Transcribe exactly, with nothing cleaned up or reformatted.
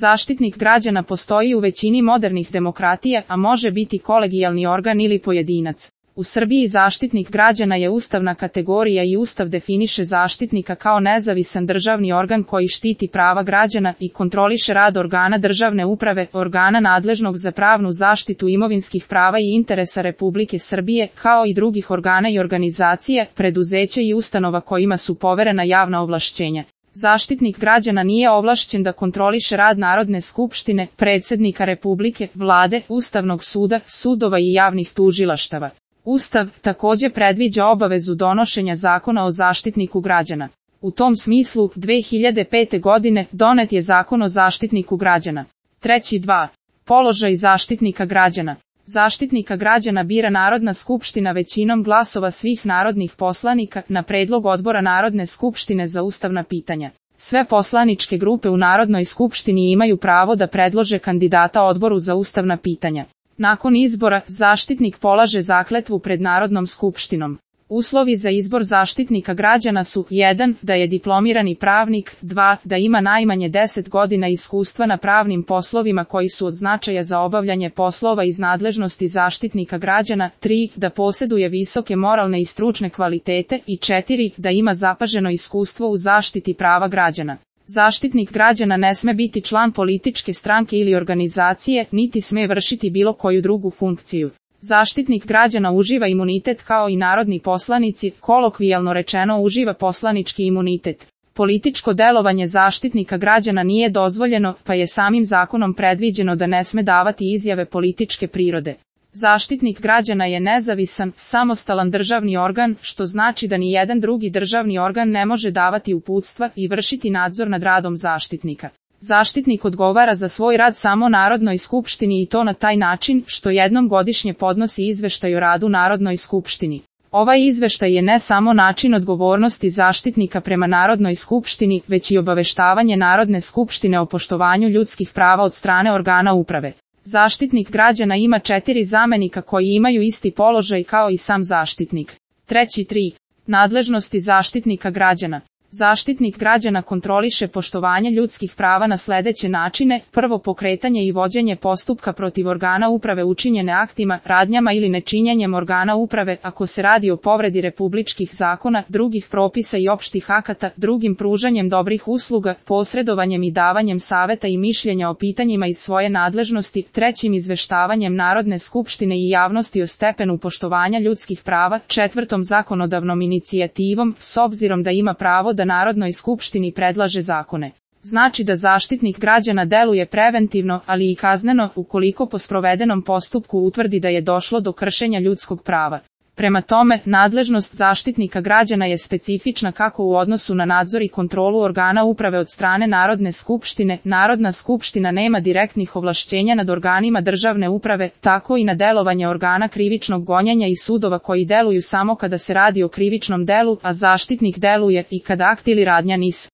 Zaštitnik građana postoji u većini modernih demokratija, a može biti kolegijalni organ ili pojedinac. U Srbiji Zaštitnik građana je ustavna kategorija i Ustav definiše Zaštitnika kao nezavisan državni organ koji štiti prava građana i kontroliše rad organa državne uprave, organa nadležnog za pravnu zaštitu imovinskih prava i interesa Republike Srbije, kao i drugih organa i organizacija, preduzeća i ustanova kojima su poverena javna ovlašćenja. Zaštitnik građana nije ovlašćen da kontroliše rad Narodne skupštine, predsjednika Republike, vlade, Ustavnog suda, sudova i javnih tužilaštava. Ustav također predviđa obavezu donošenja zakona o Zaštitniku građana. U tom smislu, dve hiljade pete. godine donet je Zakon o Zaštitniku građana. Treći dva. Položaj Zaštitnika građana. Zaštitnika građana bira Narodna skupština većinom glasova svih narodnih poslanika na predlog odbora Narodne skupštine za ustavna pitanja. Sve poslaničke grupe u Narodnoj skupštini imaju pravo da predlože kandidata odboru za ustavna pitanja. Nakon izbora, zaštitnik polaže zakletvu pred Narodnom skupštinom. Uslovi za izbor Zaštitnika građana su jedan. Da je diplomirani pravnik, dva. Da ima najmanje deset godina iskustva na pravnim poslovima koji su od značaja za obavljanje poslova iz nadležnosti Zaštitnika građana, tri. Da posjeduje visoke moralne i stručne kvalitete i četiri. Da ima zapaženo iskustvo u zaštiti prava građana. Zaštitnik građana ne sme biti član političke stranke ili organizacije, niti sme vršiti bilo koju drugu funkciju. Zaštitnik građana uživa imunitet kao i narodni poslanici, kolokvijalno rečeno uživa poslanički imunitet. Političko delovanje Zaštitnika građana nije dozvoljeno, pa je samim zakonom predviđeno da ne sme davati izjave političke prirode. Zaštitnik građana je nezavisan, samostalan državni organ, što znači da ni jedan drugi državni organ ne može davati uputstva i vršiti nadzor nad radom zaštitnika. Zaštitnik odgovara za svoj rad samo Narodnoj skupštini i to na taj način što jednom godišnje podnosi izveštaj o radu Narodnoj skupštini. Ovaj izveštaj je ne samo način odgovornosti zaštitnika prema Narodnoj skupštini, već i obaveštavanje Narodne skupštine o poštovanju ljudskih prava od strane organa uprave. Zaštitnik građana ima četiri zamenika koji imaju isti položaj kao i sam zaštitnik. Treći tri. Nadležnosti Zaštitnika građana. Zaštitnik građana kontroliše poštovanje ljudskih prava na sljedeće načine: prvo, pokretanje i vođenje postupka protiv organa uprave učinjene aktima, radnjama ili nečinjenjem organa uprave ako se radi o povredi republičkih zakona, drugih propisa i opštih akata, drugim pružanjem dobrih usluga, posredovanjem i davanjem saveta i mišljenja o pitanjima iz svoje nadležnosti, trećim, izveštavanjem Narodne skupštine i javnosti o stepenu poštovanja ljudskih prava, četvrtom, zakonodavnom inicijativom, s obzirom da ima pravo da Narodnoj skupštini predlaže zakone. Znači da Zaštitnik građana deluje preventivno, ali i kazneno, ukoliko po sprovedenom postupku utvrdi da je došlo do kršenja ljudskog prava. Prema tome, nadležnost Zaštitnika građana je specifična kako u odnosu na nadzor i kontrolu organa uprave od strane Narodne skupštine. Narodna skupština nema direktnih ovlašćenja nad organima državne uprave, tako i na delovanje organa krivičnog gonjenja i sudova koji deluju samo kada se radi o krivičnom delu, a zaštitnik deluje i kada akt ili radnja nis